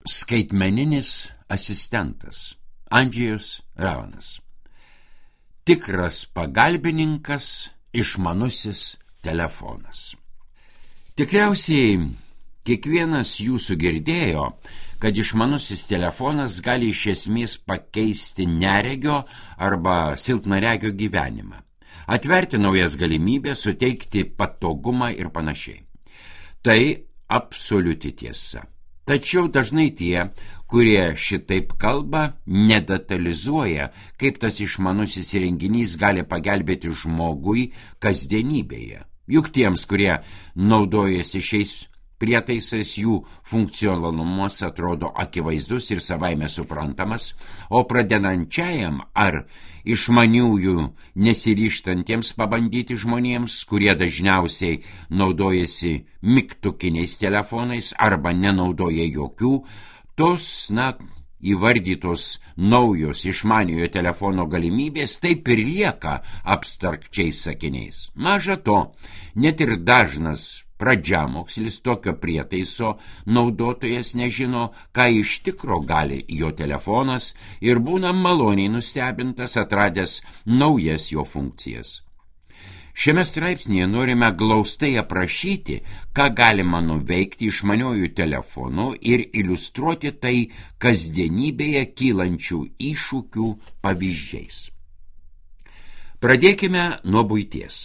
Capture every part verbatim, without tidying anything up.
Skaitmeninis asistentas Andžejus Ravanas. Tikras pagalbininkas išmanusis telefonas. Tikriausiai kiekvienas jūsų girdėjo, kad išmanusis telefonas gali iš esmės pakeisti neregio arba silpnaregio gyvenimą, atverti naujas galimybės, suteikti patogumą ir panašiai. Tai absoliuti tiesa. Tačiau dažnai tie, kurie šitaip kalba, nedetalizuoja, kaip tas išmanusis įrenginys gali pagelbėti žmogui kasdienybėje. Juk tiems, kurie naudojasi šiais prietaisais, jų funkcionalumas atrodo akivaizdus ir savaime suprantamas, o pradedančiajam ar išmaniųjų nesiryžtantiems pabandyti žmonėms, kurie dažniausiai naudojasi mygtukiniais telefonais arba nenaudoja jokių, tos, na, įvardytos naujos išmaniojo telefono galimybės taip ir lieka abstrakčiais sakiniais. Maža to, net ir dažnas pradžiamokslis tokio prietaiso naudotojas nežino, ką iš tikro gali jo telefonas ir būna maloniai nustebintas atradęs naujas jo funkcijas. Šiame straipsnėje norime glaustai aprašyti, ką galima nuveikti išmaniojų telefonų ir iliustruoti tai kasdienybėje kylančių iššūkių pavyzdžiais. Pradėkime nuo buities.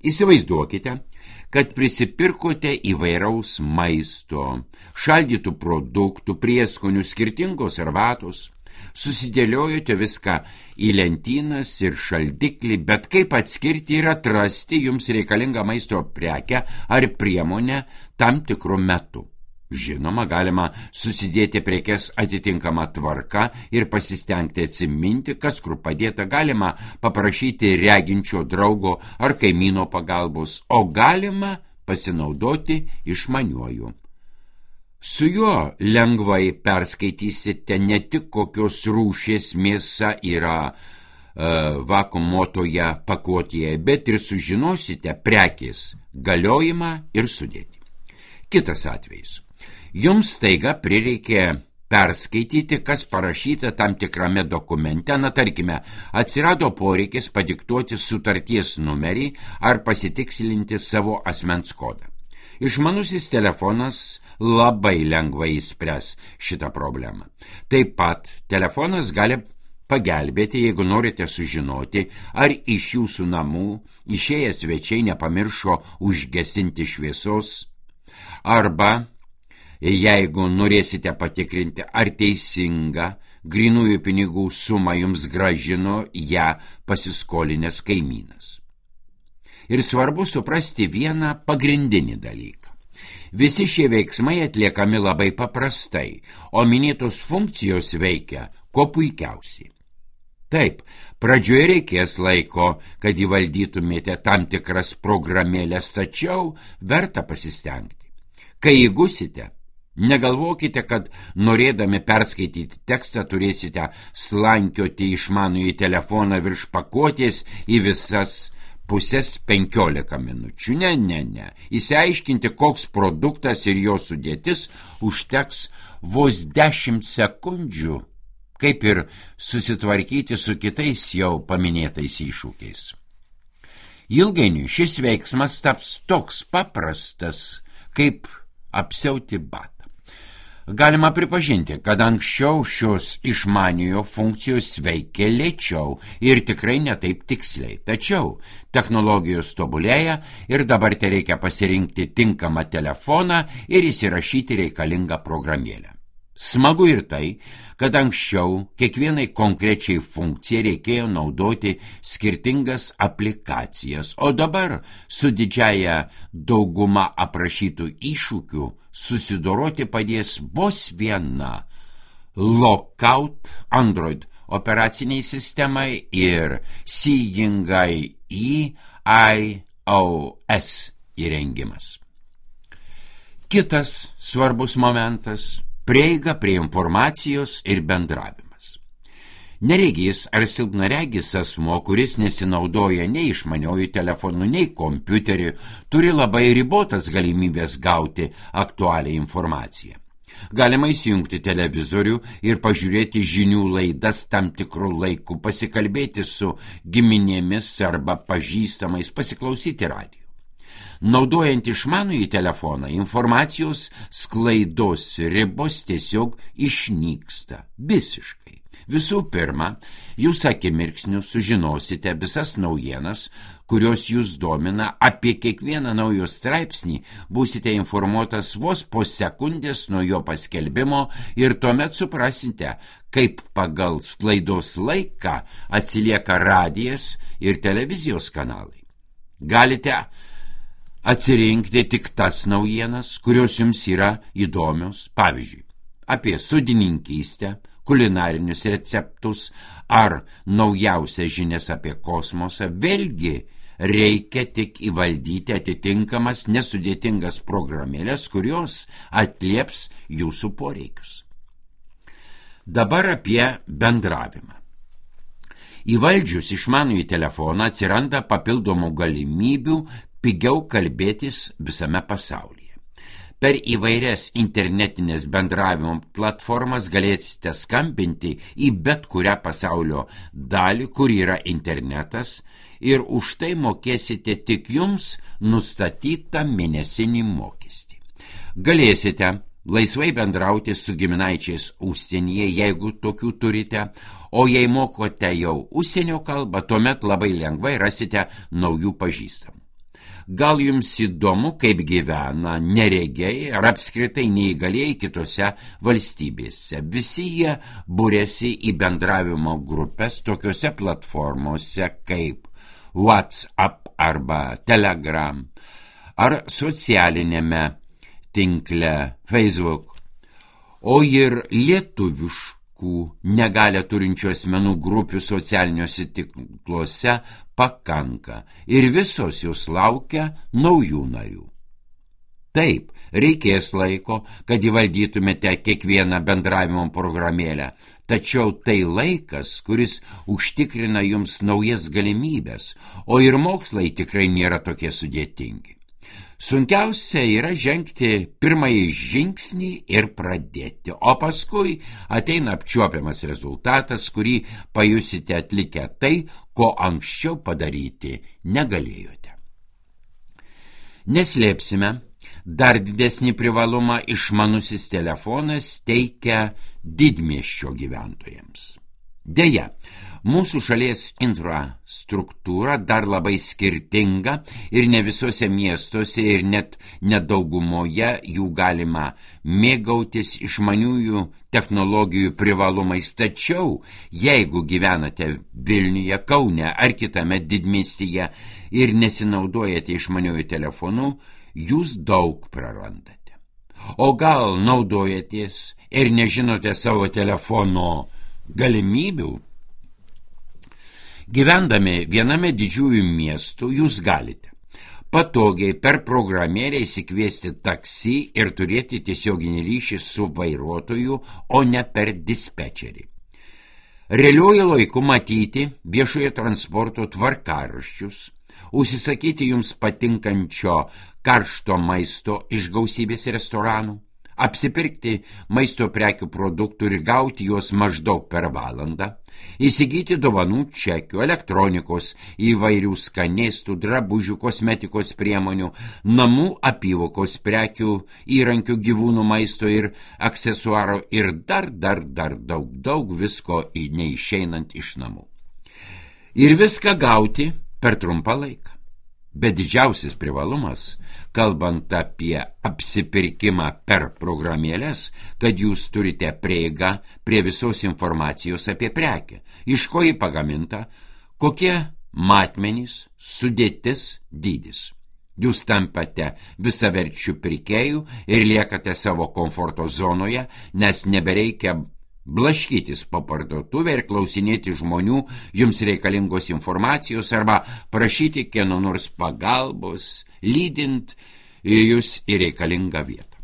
Įsivaizduokite, kad prisipirkote įvairaus maisto, šaldytų produktų, prieskonių, skirtingos arbatos, susidėliojote viską į lentynas ir šaldiklį, bet kaip atskirti ir atrasti jums reikalingą maisto prekę ar priemonę tam tikru metu. Žinoma, galima susidėti prekes atitinkamą tvarką ir pasistengti atsiminti, kas kur padėta, galima paprašyti reginčio draugo ar kaimyno pagalbos, o galima pasinaudoti išmaniuoju. Su juo lengvai perskaitysite ne tik kokios rūšies mėsa yra e, vakuumuotoje pakuotėje, bet ir sužinosite prekės galiojimą ir sudėtį. Kitas atvejis. Jums staiga prireikė perskaityti, kas parašyta tam tikrame dokumente, na tarkime, atsirado poreikis padiktuoti sutarties numerį ar pasitikslinti savo asmens kodą. Išmanusis telefonas labai lengvai išspręs šitą problemą. Taip pat telefonas gali pagelbėti, jeigu norite sužinoti, ar iš jūsų namų išėję svečiai nepamiršo užgesinti šviesos, arba jeigu norėsite patikrinti, ar teisinga grynųjų pinigų sumą jums grąžino ją pasiskolinęs kaimynas. Ir svarbu suprasti vieną pagrindinį dalyką. Visi šie veiksmai atliekami labai paprastai, o minėtos funkcijos veikia kuo puikiausiai. Taip, pradžioje reikės laiko, kad įvaldytumėte tam tikras programėlės, tačiau verta pasistengti. Kai įgusite, negalvokite, kad norėdami perskaityti tekstą turėsite slankioti išmanųjį telefoną virš pakuotės į visas pusės penkiolika minučių. Ne, ne, ne. Įsiaiškinti, koks produktas ir jo sudėtis užteks vos dešimt sekundžių, kaip ir susitvarkyti su kitais jau paminėtais iššūkiais. Ilgainiui šis veiksmas taps toks paprastas, kaip apsiauti batą. Galima pripažinti, kad anksčiau šios išmaniojo funkcijos veikė lėčiau ir tikrai netaip tiksliai. Tačiau technologijos tobulėja ir dabar te reikia pasirinkti tinkamą telefoną ir įsirašyti reikalingą programėlę. Smagu ir tai, kad anksčiau kiekvienai konkrečiai funkcijai reikėjo naudoti skirtingas aplikacijas, o dabar su didžiaja dauguma aprašytų iššūkių susidoroti padės vos viena Lookout Android operaciniai sistemai ir Seeing iOS įrengimas. Kitas svarbus momentas – prieiga prie informacijos ir bendravimas. Neregys ar silpnaregis asmuo, kuris nesinaudoja nei išmaniojų telefonų, nei kompiuterių, turi labai ribotas galimybės gauti aktualią informaciją. Galima įsijungti televizorių ir pažiūrėti žinių laidas tam tikrų laikų, pasikalbėti su giminėmis arba pažįstamais, pasiklausyti radijo. Naudojant išmanųjį telefoną, informacijos sklaidos ribos tiesiog išnyksta visiškai. Visų pirma, jūs akimirksniu sužinosite visas naujienas, kurios jūs domina, apie kiekvieną naujo straipsnį būsite informuotas vos po sekundės nuo jo paskelbimo ir tuomet suprasite, kaip pagal sklaidos laiką atsilieka radijas ir televizijos kanalai. Galite atsirinkti tik tas naujienas, kurios jums yra įdomios, pavyzdžiui, apie sodininkystę, kulinarinius receptus ar naujausias žinias apie kosmosą. Vėlgi reikia tik įvaldyti atitinkamas nesudėtingas programėlės, kurios atlieps jūsų poreikius. Dabar apie bendravimą. Įvaldžius išmanųjį telefoną atsiranda papildomų galimybių pigiau kalbėtis visame pasaulyje. Per įvairias internetinės bendravimo platformas galėsite skambinti į bet kurią pasaulio dalį, kur yra internetas, ir už tai mokėsite tik jums nustatytą mėnesinį mokestį. Galėsite laisvai bendrauti su giminaičiais užsienyje, jeigu tokių turite, o jei mokote jau užsienio kalbą, tuomet labai lengvai rasite naujų pažįstamų. Gal jums įdomu, kaip gyvena neregiai ar apskritai neįgalieji kitose valstybėse. Visi jie būrėsi į bendravimo grupės tokiose platformose kaip WhatsApp arba Telegram ar socialinėme tinkle Facebook, o ir lietuviškų negalią turinčių asmenų grupių socialiniuose tinkluose pakanka ir visos jūs laukia naujų narių. Taip, reikės laiko, kad įvaldytumėte kiekvieną bendravimo programėlę, tačiau tai laikas, kuris užtikrina jums naujas galimybės, o ir mokslai tikrai nėra tokie sudėtingi. Sunkiausia yra žengti pirmąjį žingsnį ir pradėti, o paskui ateina apčiuopiamas rezultatas, kurį pajusite atlikę tai, ko anksčiau padaryti negalėjote. Neslėpsime, dar didesnį privalumą išmanusis telefonas teikia didmiesčio gyventojams. Deja, mūsų šalies infrastruktūra dar labai skirtinga ir ne visose miestuose ir net nedaugumoje jų galima mėgautis išmaniųjų technologijų privalumais. Tačiau, jeigu gyvenate Vilniuje, Kaune ar kitame didmiestyje ir nesinaudojate išmaniųjų telefonų, jūs daug prarandate. O gal naudojatės ir nežinote savo telefono galimybių? Gyvendami viename didžiųjų miestų jūs galite patogiai per programėlę įsikviesti taksi ir turėti tiesioginį ryšį su vairuotoju, o ne per dispečerį. Realiuoju laiku matyti viešojo transporto tvarkaraščius, užsisakyti jums patinkančio karšto maisto iš gausybės restoranų, apsipirkti maisto prekių produktų ir gauti juos maždaug per valandą, įsigyti dovanų čekių, elektronikos, įvairių skanėstų, drabužių, kosmetikos priemonių, namų apyvokos prekių, įrankių, gyvūnų maisto ir aksesuaro ir dar, dar, dar daug, daug visko neišeinant iš namų. Ir viską gauti per trumpą laiką. Bet didžiausias privalumas, kalbant apie apsipirkimą per programėlės, kad jūs turite prieigą prie visos informacijos apie prekę, iš ko ji pagaminta, kokie matmenys, sudėtis, dydis. Jūs tampate visaverčių pirkėjų ir liekate savo komforto zonoje, nes nebereikia blaškytis po parduotuvę ir klausinėti žmonių jums reikalingos informacijos arba prašyti kieno nors pagalbos, lydint jūs į reikalingą vietą.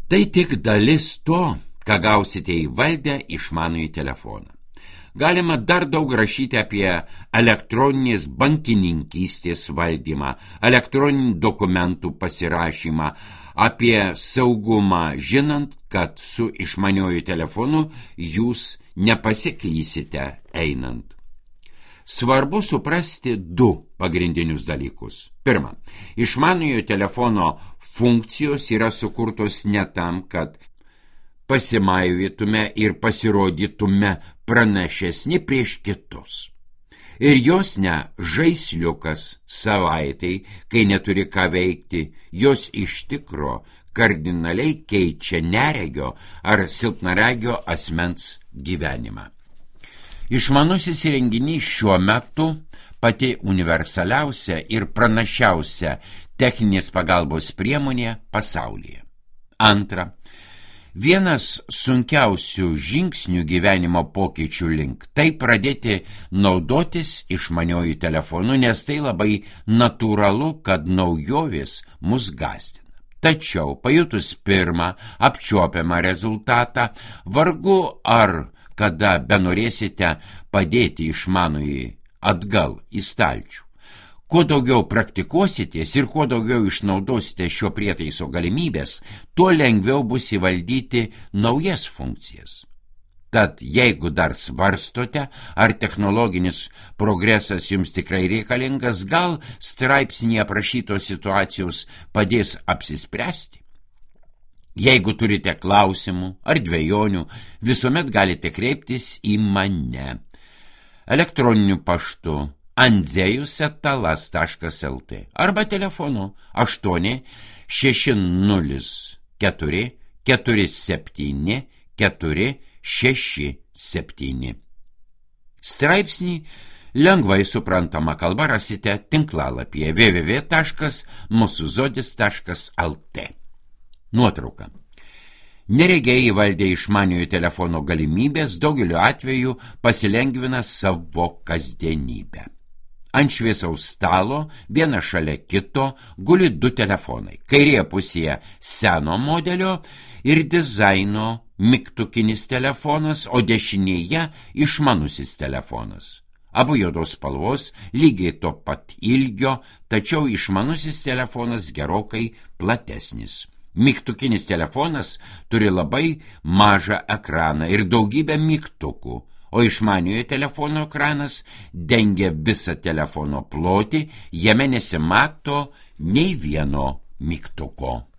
Tai tik dalis to, ką gausite įvaldę išmanųjį telefoną. Galima dar daug rašyti apie elektroninės bankininkystės valdymą, elektroninių dokumentų pasirašymą apie saugumą, žinant, kad su išmaniuoju telefonu jūs nepasiklysite einant. Svarbu suprasti du pagrindinius dalykus. Pirma, išmaniojo telefono funkcijos yra sukurtos ne tam, kad pasimaivytume ir pasirodytume pranašesni prieš kitus. Ir jos ne žaisliukas savaitai, kai neturi ką veikti, jos iš tikro kardinaliai keičia neregio ar silpnaregio asmens gyvenimą. Išmanusis įrenginys šiuo metu pati universaliausia ir pranašiausia techninės pagalbos priemonė pasaulyje. Antra, vienas sunkiausių žingsnių gyvenimo pokyčių link tai pradėti naudotis išmaniuoju telefonu, nes tai labai natūralu, kad naujovės mus gąsdina. Tačiau pajutus pirmą apčiuopiamą rezultatą, vargu ar kada benorėsite padėti išmanųjį atgal į stalčių. Kuo daugiau praktikuositės ir kuo daugiau išnaudosite šio prietaiso galimybės, tuo lengviau bus įvaldyti naujas funkcijas. Tad jeigu dar svarstote, ar technologinis progresas jums tikrai reikalingas, gal straipsnyje aprašytos situacijos padės apsispręsti. Jeigu turite klausimų ar dvejonių, visuomet galite kreiptis į mane. Elektroniniu paštu andzejus eta las taškas lt arba telefonu aštuoni šeši nulis keturi keturi septyni keturi šeši septyni. Straipsnį lengvai suprantama kalba rasite tinklalapyje w w w taškas mūsų zodis taškas lt. Nuotrauka. Neregiai įvaldę išmaniojo telefono galimybės daugeliu atveju pasilengvina savo kasdienybę. Ant šviesaus stalo, viena šalia kito, guli du telefonai. Kairėje pusėje seno modelio ir dizaino mygtukinis telefonas, o dešinėje išmanusis telefonas. Abu juodos spalvos, lygiai to pat ilgio, tačiau išmanusis telefonas gerokai platesnis. Mygtukinis telefonas turi labai mažą ekraną ir daugybę mygtukų, o išmaniojo telefono ekranas dengia visą telefono plotį, jame nesimato nei vieno mygtuko.